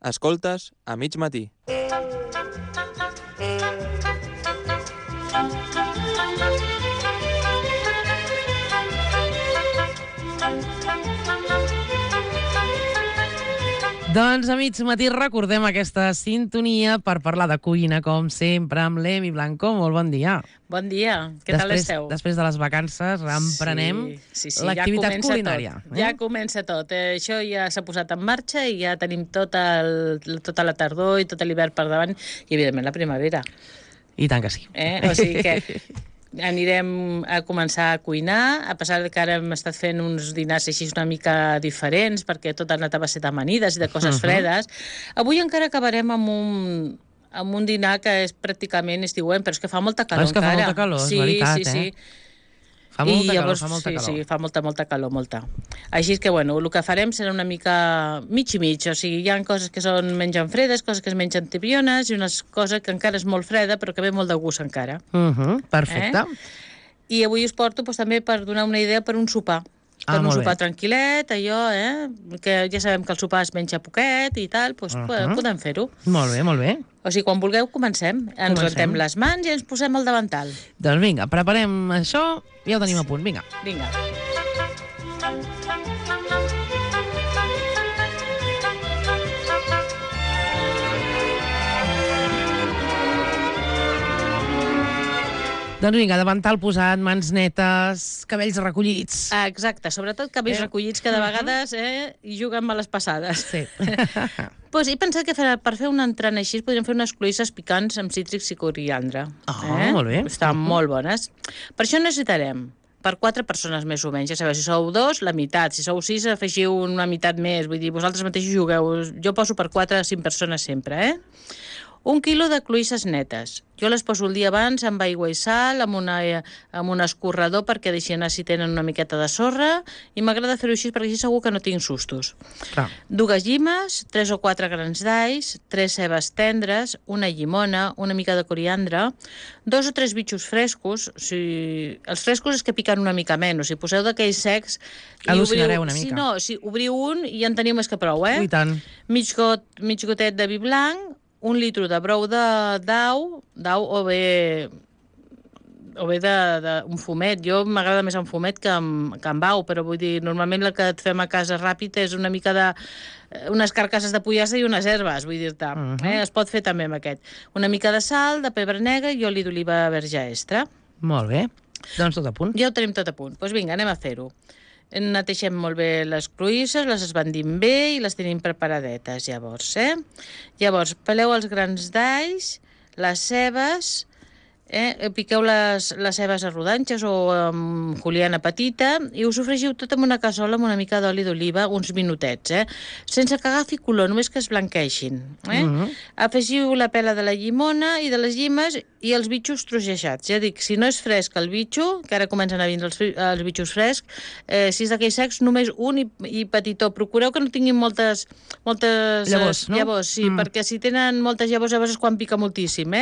Escoltes a mig matí. Doncs a mig matí recordem aquesta sintonia per parlar de cuina, com sempre, amb l'Emi Blanco. Molt bon dia. Bon dia, què tal esteu? Després de les vacances emprenem l'activitat culinària. Ja comença tot. Això ja s'ha posat en marxa i ja tenim tota la tardor i tot l'hivern per davant i, evidentment, la primavera. I tant que sí. O sigui que anirem a començar a cuinar, a pesar que ara hem estat fent uns dinars així una mica diferents, perquè tot ha anat a base d'amanides i de coses fredes. Avui encara acabarem amb un dinar que és pràcticament estiuent, però és que fa molta calor encara. Fa molta calor, és veritat, sí. Fa molta calor. Sí, fa molta calor, molta. Així que, bueno, el que farem serà una mica mig i mig, o sigui, hi ha coses que són mengen fredes, coses que es mengen tibiones, i unes coses que encara és molt freda, però que ve molt de gust encara. Perfecte. I avui us porto també per donar una idea per un sopar. Per un sopar tranquil·let, allò, que ja sabem que el sopar es menja poquet i tal, doncs podem fer-ho. Molt bé, molt bé. O sigui, quan vulgueu, comencem. Ens rentem les mans i ens posem al davantal. Doncs vinga, preparem això i ja ho tenim a punt. Vinga. Vinga. Doncs vinga, davantal posat, mans netes, cabells recollits. Exacte, sobretot cabells recollits, que de vegades hi juguen males passades. Sí. Pues he pensat que per fer un entrant així podríem fer unes cloïsses picants amb cítrics i coriandre. Molt bé. Estan molt bones. Per això necessitarem per 4 persones més o menys. Ja sabeu, si sou 2, la meitat. Si sou 6, afegiu una meitat més. Vull dir, vosaltres mateixos jugueu. Jo poso per 4 a 5 persones sempre, 1 quilo de cloïsses netes. Jo les poso el dia abans amb aigua i sal, amb un escorredor perquè deixi anar si tenen una miqueta de sorra, i m'agrada fer-ho així perquè així segur que no tinc sustos. Clar. 2 llimes, 3 o 4 grans d'alls, 3 cebes tendres, una llimona, una mica de coriandre, 2 o 3 bitxos frescos. Els frescos és que piquen una mica menys. Si poseu d'aquells secs... Al·lucinareu una mica. Si obriu un i ja en teniu més que prou, I tant. Mig gotet de vi blanc, 1 litre de brou d'au o bé d'un fumet. Jo m'agrada més en fumet que en bau, però vull dir, normalment el que et fem a casa ràpid és una mica unes carcasses de pollastre i unes herbes, vull dir-te. Es pot fer també amb aquest. Una mica de sal, de pebre negre i oli d'oliva verge extra. Molt bé. Doncs tot a punt. Ja ho tenim tot a punt. Doncs vinga, anem a fer-ho. Neteixem molt bé les cloïsses, les esbandim bé i les tenim preparadetes, llavors, Llavors, peleu els grans d'alls, les cebes, piqueu les cebes a rodanxes o amb juliana petita i ho sofregiu tot en una cassola amb una mica d'oli d'oliva, uns minutets, sense que agafi color, només que es blanqueixin. Afegiu la pela de la llimona i de les llimes i els bitxos trogeixats. Ja dic, si no és fresc el bitxo, que ara comencen a vindre els bitxos frescs, si és d'aquells secs, només un i petitó. Procureu que no tinguin moltes llavors, no? Llavors, sí, perquè si tenen moltes llavors, llavors és quan pica moltíssim,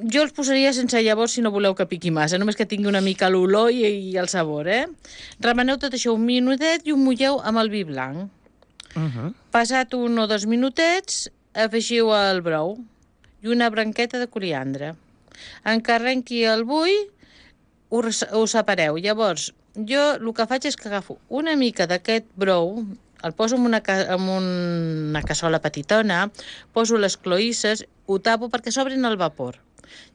Jo els posaria sense llavors si no voleu que piqui massa, només que tingui una mica l'olor i el sabor, Remeneu tot això un minutet i ho mulleu amb el vi blanc. Passat 1 o 2 minutets, afegiu el brou i una branqueta de coriandre. En que arrenqui el bull, ho separeu. Llavors, jo el que faig és que agafo una mica d'aquest brou, el poso en una cassola petitona, poso les cloïsses, ho tapo perquè s'obrin el vapor.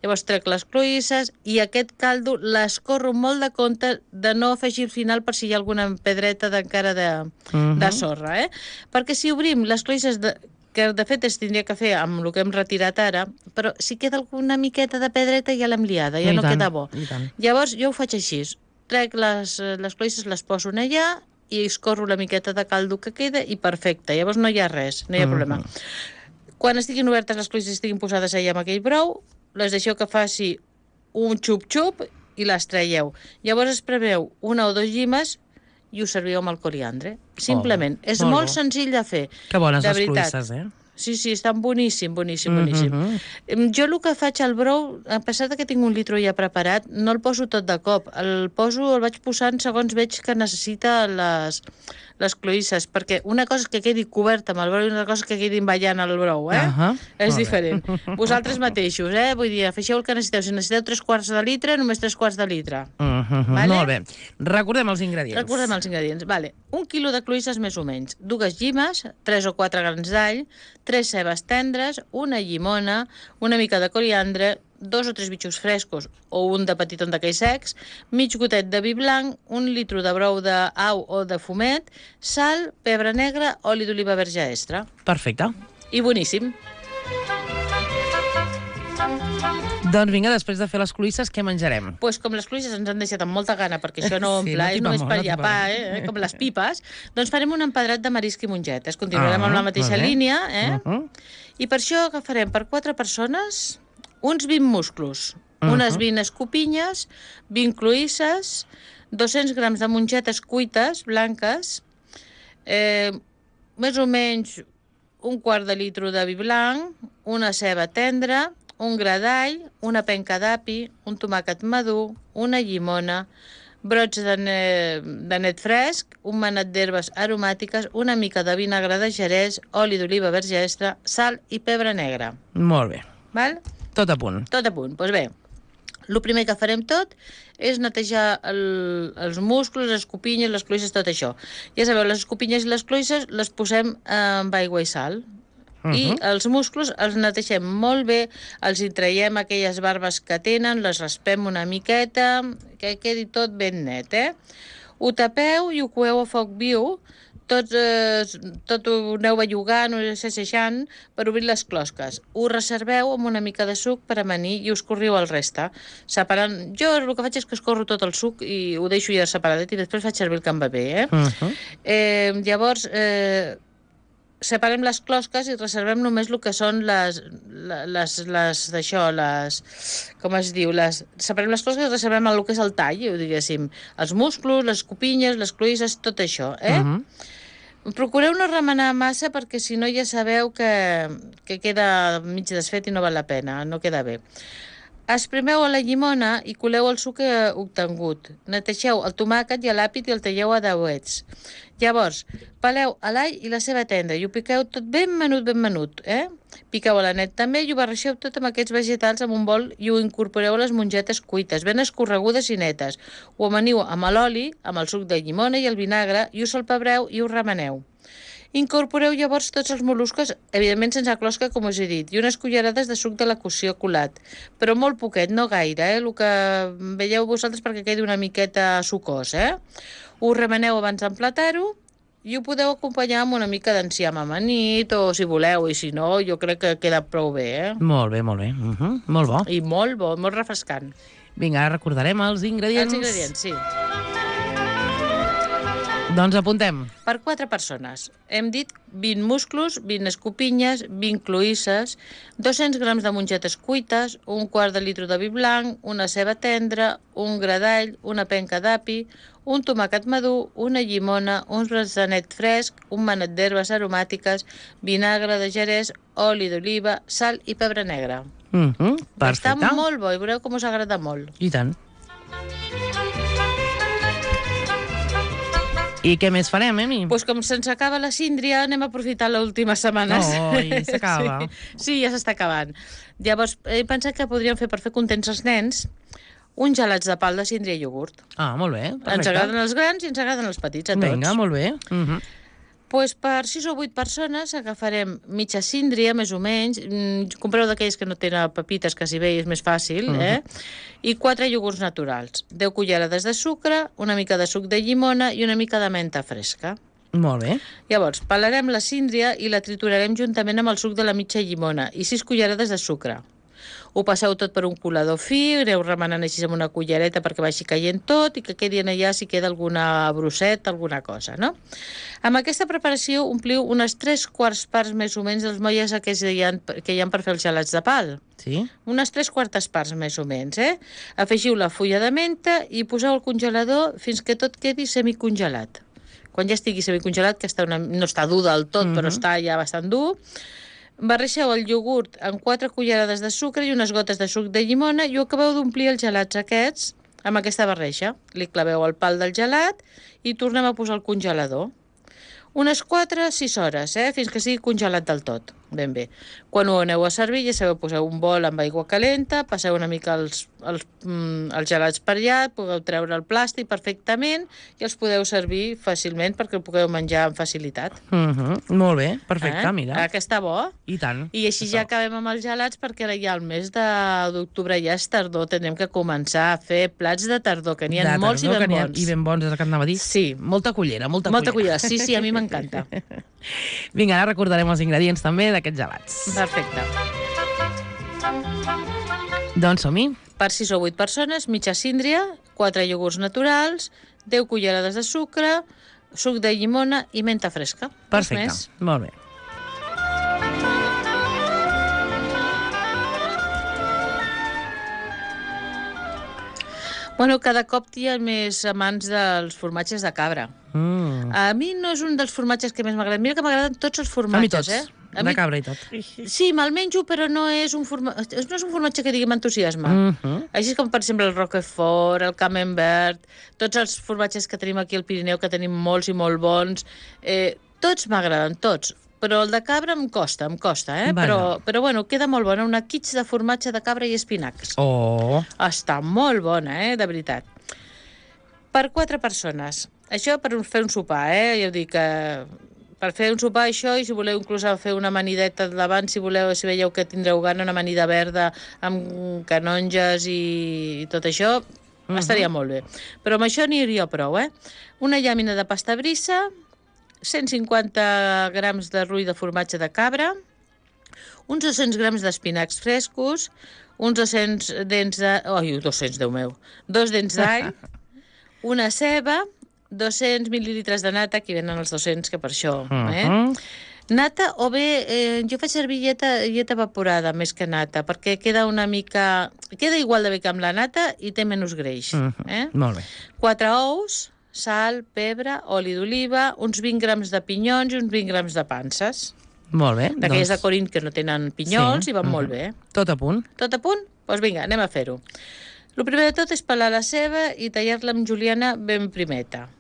Llavors trec les cloïsses i aquest caldo l'escorro molt de compte de no afegir al final per si hi ha alguna pedreta encara de sorra, Perquè si obrim les cloïsses, que de fet es tindria que fer amb el que hem retirat ara, però si queda alguna miqueta de pedreta ja l'hem liada, ja no queda bo. Llavors jo ho faig així, trec les cloïsses, les poso allà i escorro la miqueta de caldo que queda i perfecte, llavors no hi ha res, no hi ha problema. Quan estiguin obertes les cloïsses i estiguin posades allà amb aquell brou, les deixeu que faci un xup-xup i les traieu. Llavors espremeu 1 o 2 llimes i ho serviu amb el coriandre. Simplement. És molt senzill de fer. Que bones les cloïsses, Sí, estan boníssim. Jo el que faig al brou, a pesar que tinc un litro ja preparat, no el poso tot de cop. El vaig posant segons veig que necessita les cloïsses, perquè una cosa és que quedi cobert amb el brou i una cosa és que quedi ballant el brou, És diferent. Vosaltres mateixos, vull dir, afegeu el que necessiteu. Si necessiteu 3/4 de litre, només 3/4 de litre. Vale? Molt bé. Recordem els ingredients. Vale. 1 quilo de cloïsses més o menys, 2 llimes, 3 o 4 grans d'all, 3 cebes tendres, una llimona, una mica de coriandre, 2 o 3 bitxos frescos o un de petiton d'aquells secs, mig gotet de vi blanc, 1 litro de brou d'au o de fumet, sal, pebre negre, oli d'oliva verge extra. Perfecte. I boníssim. Doncs vinga, després de fer les cloïsses, què menjarem? Pues com les cloïsses ens han deixat amb molta gana, perquè això no omple, és només per llapar, com les pipes, doncs farem un empedrat de marisc i mongetes. Continuarem amb la mateixa línia, I per això agafarem per 4 persones uns 20 musclos, unes 20 escopinyes, 20 cloïsses, 200 grams de mongetes cuites, blanques, més o menys un quart de litro de vi blanc, una ceba tendra, un gra d'all, una penca d'api, un tomàquet madur, una llimona, brots de net fresc, un manat d'herbes aromàtiques, una mica de vinagre de Jerez, oli d'oliva verge extra, sal i pebre negre. Molt bé. Val? Tot a punt. Tot a punt. Doncs bé, el primer que farem tot és netejar els musclos, les escopinyes, les cloïsses, tot això. Ja sabeu, les escopinyes i les cloïsses les posem amb aigua i sal. I els musclos els netegem molt bé, els hi traiem aquelles barbes que tenen, les raspem una miqueta, que quedi tot ben net, Ho tapeu i ho coeu a foc viu, tot ho aneu bellugant, ho assajant per obrir les closques. Ho reserveu amb una mica de suc per amanir i us corriu el resta. Separant... Jo el que faig és que escorro tot el suc i ho deixo ja separadet i després faig servir el que em va bé, Llavors... separem les closques i reservem només el que són separem les closques i reservem el que és el tall, diguéssim, els musclos, les escopinyes, les cloïsses, tot això, Procureu no remenar massa perquè si no ja sabeu que queda mig desfet i no val la pena, no queda bé. Esprimeu a la llimona i coleu el suc obtingut. Netegeu el tomàquet i l'àpid i el talleu a dauets. Llavors, peleu l'all i la ceba tendra i ho piqueu tot ben menut, Piqueu l'anet també i ho barreixeu tot amb aquests vegetals en un bol i ho incorporeu a les mongetes cuites, ben escorregudes i netes. Ho amaniu amb l'oli, amb el suc de llimona i el vinagre i ho salpebreu i ho remeneu. Incorporeu llavors tots els mol·luscos, evidentment sense closca, com us he dit, i unes cullerades de suc de la cocció colat, però molt poquet, no gaire, el que veieu vosaltres perquè quedi una miqueta sucós, Ho remeneu abans d'emplatar-ho i ho podeu acompanyar amb una mica d'enciam amanit, o si voleu, i si no, jo crec que queda prou bé, Molt bé. Molt bo. I molt bo, molt refrescant. Vinga, ara recordarem els ingredients. Els ingredients, sí. Doncs apuntem. Per 4 persones. Hem dit 20 musclos, 20 escopinyes, 20 cloïsses, 200 grams de mongetes cuites, un quart de litre de vi blanc, una ceba tendra, un gra d'all, una penca d'api, un tomàquet madur, una llimona, uns brots de net fresc, un manet d'herbes aromàtiques, vinagre de Jerez, oli d'oliva, sal i pebre negre. Perfecte. Està molt bo i veureu com us agrada molt. I tant. I què més farem, Emi? Doncs com se'ns acaba la síndria, anem a aprofitar l'última setmana. S'acaba. Sí, ja s'està acabant. Llavors, he pensat que podríem fer, per fer contents els nens, uns gelats de pal de síndria i iogurt. Ah, molt bé. Perfecte. Ens agraden els grans i ens agraden els petits, a tots. Vinga, molt bé. Doncs per 6 o 8 persones agafarem mitja síndria, més o menys. Compreu d'aquells que no tenen pepites, que si bé és més fàcil, i 4 iogurts naturals. 10 cullerades de sucre, una mica de suc de llimona i una mica de menta fresca. Molt bé. Llavors, pelarem la síndria i la triturarem juntament amb el suc de la mitja llimona i 6 cullerades de sucre. Ho passeu tot per un colador fi, aneu remenant així amb una cullereta perquè vagi caient tot i que quedi allà si queda alguna brosseta, alguna cosa, no? Amb aquesta preparació ompliu unes 3/4 parts més o menys dels molles que hi ha per fer els gelats de pal. Sí? Unes 3/4 parts més o menys, Afegiu la fulla de menta i poseu al congelador fins que tot quedi semicongelat. Quan ja estigui semicongelat, que no està dur del tot, però està ja bastant dur, Barreixeu el iogurt amb 4 cullerades de sucre i unes gotes de suc de llimona i ho acabeu d'omplir els gelats aquests amb aquesta barreja. Li claveu el pal del gelat i tornem a posar al congelador. Unes 4-6 hores, fins que sigui congelat del tot, ben bé. Quan ho aneu a servir, ja sabeu, poseu un bol amb aigua calenta, passeu una mica els gelats per allà, podeu treure el plàstic perfectament i els podeu servir fàcilment perquè el pugueu menjar amb facilitat. Molt bé, perfecte, mira. Que està bo. I tant. I així ja acabem amb els gelats perquè ara ja el mes d'octubre ja és tardor, tindrem que començar a fer plats de tardor, que n'hi ha molts i ben bons. I ben bons, és el que anava a dir. Sí. Molta cullera, molta cullera. Sí, a mi m'encanta. Vinga, ara recordarem els ingredients també d'aquests gelats. Perfecte. Doncs som-hi. Per 6 o 8 persones, mitja síndria, 4 iogurts naturals, 10 cullerades de sucre, suc de llimona i menta fresca. Perfecte, molt bé. Bueno, cada cop hi ha més amants dels formatges de cabra. A mi no és un dels formatges que més m'agraden. Mira que m'agraden tots els formatges, A mi tots, de cabra i tot. Sí, me'l menjo, però no és un formatge que digui m'entusiasma. Així com, per exemple, el Roquefort, el Camembert, tots els formatges que tenim aquí al Pirineu, que tenim molts i molt bons, tots m'agraden, tots. Però el de cabra em costa, Però bueno, queda molt bona. Una quiche de formatge de cabra i espinacs. Oh! Està molt bona, de veritat. Per 4 persones. Això per fer un sopar, Ja ho dic, per fer un sopar això, i si voleu inclús fer una amanideta davant, si veieu que tindreu gana, una amanida verda amb canonges i tot això, estaria molt bé. Però amb això n'hi hauria prou, Una llàmina de pasta brissa, 150 grams de rull de formatge de cabra, uns 200 grams d'espinacs frescos, uns 200 dents de... Ai, 200, Déu meu. 2 dents d'all, una ceba, 200 mil·lilitres de nata, aquí venen els 200, que per això, Nata, o bé, jo faig servir llet evaporada més que nata, perquè queda una mica... Queda igual de bé que amb la nata i té menys greix. Molt bé. 4 ous, sal, pebre, oli d'oliva, uns 20 grams de pinyons i uns 20 grams de panses. Molt bé. D'aquelles de Corint que no tenen pinyons i van molt bé. Tot a punt. Tot a punt? Doncs vinga, anem a fer-ho. El primer de tot és pelar la ceba i tallar-la amb juliana ben primeta.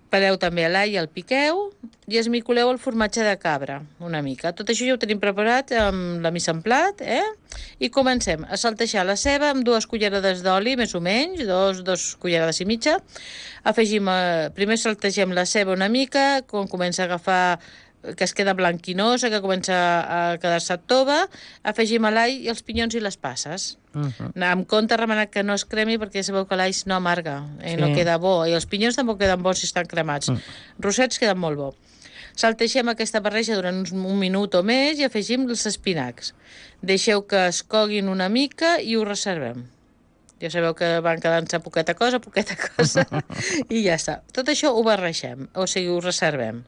Peleu també l'all i el piqueu i esmicoleu el formatge de cabra, una mica. Tot això ja ho tenim preparat amb la mise en plat, I comencem a saltejar la ceba amb 2 cullerades d'oli, més o menys, 2 cullerades i mitja. Primer saltegem la ceba una mica, quan comença a agafar que es queda blanquinosa, que comença a quedar-se tova, afegim l'all i els pinyons i les passes. Amb compte remenat que no es cremi perquè sabeu que l'all no amarga, no queda bo, i els pinyons tampoc queden bons si estan cremats. Rossets queden molt bo. Saltegem aquesta barreja durant un minut o més i afegim els espinacs. Deixeu que es coguin una mica i ho reservem. Ja sabeu que van quedant-se poqueta cosa, i ja està. Tot això ho barregem, o sigui, ho reservem.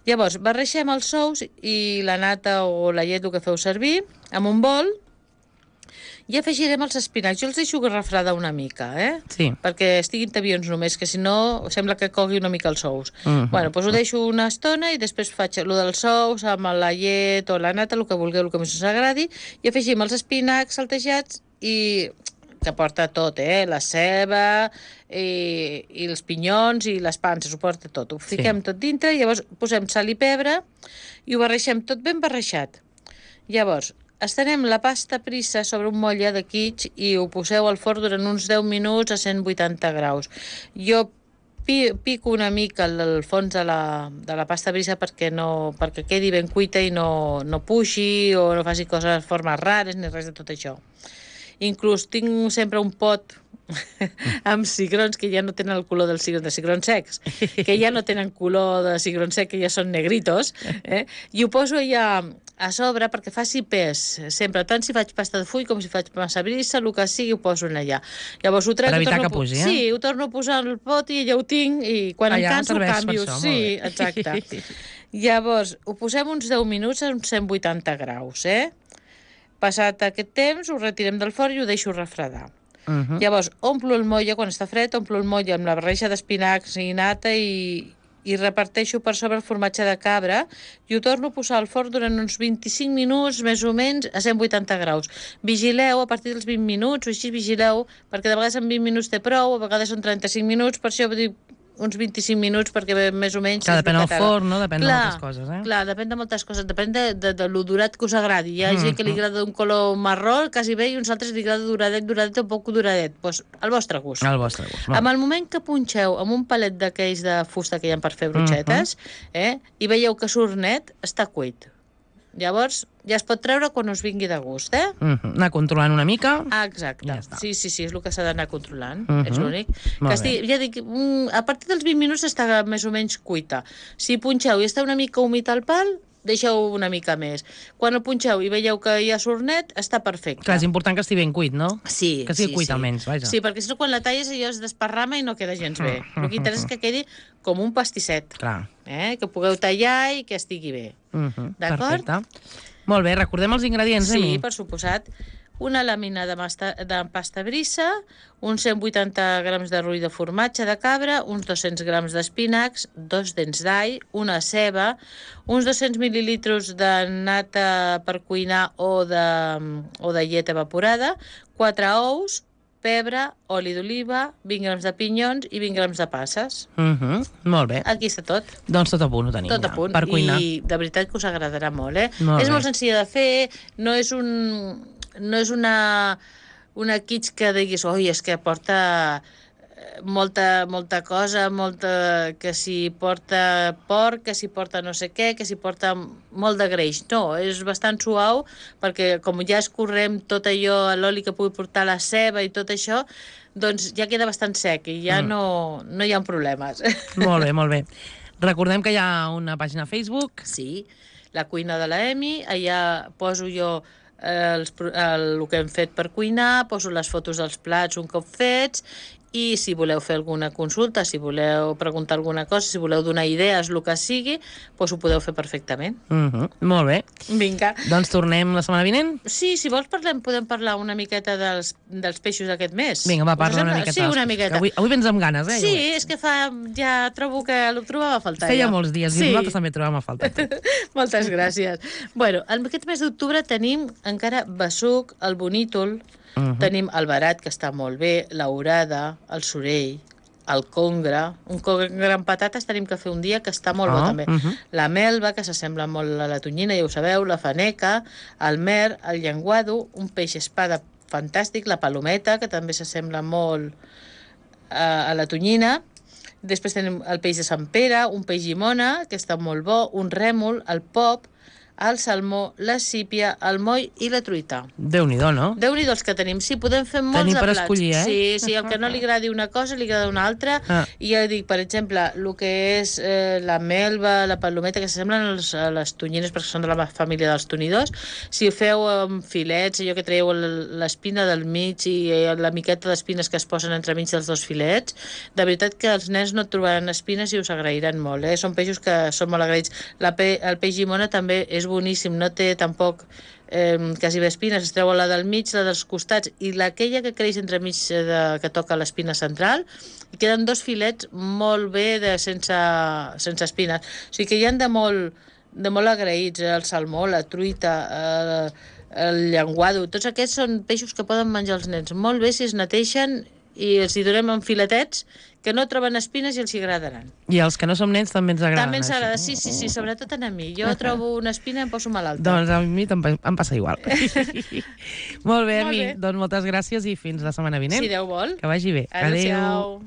Llavors, barregem els ous i la nata o la llet, el que feu servir, amb un bol, i afegirem els espinacs. Jo els deixo refredar una mica, Sí. Perquè estiguin tabions només, que si no sembla que cogui una mica els ous. Bueno, doncs ho deixo una estona i després faig el dels ous amb la llet o la nata, el que vulgueu, el que més us agradi, i afegim els espinacs saltejats i que porta tot, la ceba i els pinyons i les panses, ho porta tot. Ho fiquem tot dintre, llavors posem sal i pebre i ho barregem tot ben barrejat. Llavors, estenem la pasta prissa sobre un motlle de quiche i ho poseu al forn durant uns 10 minuts a 180 graus. Jo pico una mica el fons de la pasta brissa perquè quedi ben cuita i no puixi o no faci coses, formes rares ni res de tot això. Inclús tinc sempre un pot amb cigrons que ja no tenen el color dels cigrons secs, que ja no tenen color de cigron sec, que ja són negritos, i ho poso allà a sobre perquè faci pes, sempre, tant si faig pasta de full com si faig massa brissa, el que sigui, ho poso allà. Llavors ho trec, per evitar que pugi, Sí, ho torno a posar al pot i allà ho tinc, i quan em canso ho canvio. Sí, exacte. Llavors, ho posem uns 10 minuts a uns 180 graus, Passat aquest temps, ho retirem del forn i ho deixo refredar. Llavors, omplo el motlle, quan està fred, omplo el motlle amb la barreja d'espinacs i nata i i reparteixo per sobre el formatge de cabra i ho torno a posar al forn durant uns 25 minuts, més o menys, a 180 graus. Vigileu, a partir dels 20 minuts, o així vigileu, perquè de vegades en 20 minuts té prou, a vegades són 35 minuts, per això dic uns 25 minuts, perquè més o menys... Que depèn del forn, no? Depèn de moltes coses, eh? Clar, depèn de moltes coses, depèn de lo durat que us agradi. Hi ha gent que li agrada un color marró, quasi bé, i uns altres li agrada duradet o poc duradet. Doncs al vostre gust. Al vostre gust. Amb el moment que punxeu amb un palet d'aquells de fusta que hi ha per fer broixetes, i veieu que surt net, està cuit. Llavors, ja es pot treure quan us vingui de gust, eh? Anar controlant una mica. Ah, exacte. Ja està. Sí, és el que s'ha d'anar controlant. És l'únic. Ja dic, a partir dels 20 minuts està més o menys cuita. Si punxeu i està una mica humit al pal, deixeu una mica més. Quan el punxeu i veieu que ja surt net, està perfecte. Clar, és important que estigui ben cuit, no? Sí. Que sigui cuit almenys, vaja. Sí, perquè si no quan la talles allò es desparrama i no queda gens bé. El que interessa és que quedi com un pastisset. Clar. Que pugueu tallar i que estigui bé. D'acord? Perfecte. Molt bé, recordem els ingredients, Sí, per suposat. Una làmina de pasta brissa, uns 180 grams de rull de formatge de cabra, uns 200 grams d'espinacs, 2 dents d'all, una ceba, uns 200 mil·lilitres de nata per cuinar o de llet evaporada, 4 ous, pebre, oli d'oliva, 20 grams de pinyons i 20 grams de passes. Molt bé. Aquí està tot. Doncs tot a punt ho tenim Tot a punt. per cuinar. I de veritat que us agradarà molt, eh? Molt És bé. molt senzilla de fer, no és una kits que diguis, oi, és que porta molta cosa, que si porta porc, que si porta no sé què, que si porta molt de greix. No, és bastant suau, perquè com ja escorrem tot allò, l'oli que pugui portar la ceba i tot això, doncs ja queda bastant sec i ja no hi ha problemes. Molt bé, molt bé. Recordem que hi ha una pàgina a Facebook. Sí, la cuina de la Emi, allà poso jo el que hem fet per cuinar, poso les fotos dels plats un cop fets, i si voleu fer alguna consulta, si voleu preguntar alguna cosa, si voleu donar idees, el que sigui, doncs ho podeu fer perfectament. Molt bé. Vinga. Doncs tornem la setmana vinent? Sí, si vols podem parlar una miqueta dels peixos d'aquest mes. Vinga, va, parla una miqueta. Sí, una miqueta. Avui vens amb ganes, eh? Sí, és que ja trobo que ho trobava a faltar. Feia molts dies i nosaltres també trobàvem a faltar. Moltes gràcies. Bueno, en aquest mes d'octubre tenim encara besuc, el bonítol, tenim el barat, que està molt bé, l'orada, el sorell, el congre, un congre amb patates tenim que fer un dia, que està molt bo també. La melva, que s'assembla molt a la tonyina, ja ho sabeu, la faneca, el mer, el llenguado, un peix espada fantàstic, la palometa, que també s'assembla molt a la tonyina. Després tenim el peix de Sant Pere, un peix llimona, que està molt bo, un rèmol, el pop, el salmó, la sípia, el moll i la truita. Déu-n'hi-do, no? Déu-n'hi-do els que tenim. Sí, podem fer molts tenim de per plats. Escollir, eh? Sí, el que no li agradi una cosa, li agrada una altra. I ja dic, per exemple, el que és la melva, la palometa, que s'assemblen a les tonyines, perquè són de la família dels tonidors. Si ho feu amb filets, allò que traieu l'espina del mig i la miqueta d'espines que es posen entremig dels dos filets, de veritat que els nens no trobaran espines i us agrairan molt, eh? Són peixos que són molt agraïts. El peix llimona també és boníssim, no té tampoc quasi bé espines, es treu la del mig, la dels costats i aquella que creix entremig que toca l'espina central, i queden dos filets molt bé sense espines. O sigui que hi ha de molt agraïts, el salmó, la truita, el llenguado, tots aquests són peixos que poden menjar els nens molt bé si es neteixen i els hi donem en filetets que no troben espines i els hi agradaran. I els que no som nens també ens agraden. També ens agrada, sí, sobretot a mi. Jo trobo una espina i em poso malalta. Doncs a mi em passa igual. Molt bé, Emi. Doncs moltes gràcies i fins la setmana vinent. Si Déu vol. Que vagi bé. Adéu.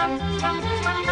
Thank you.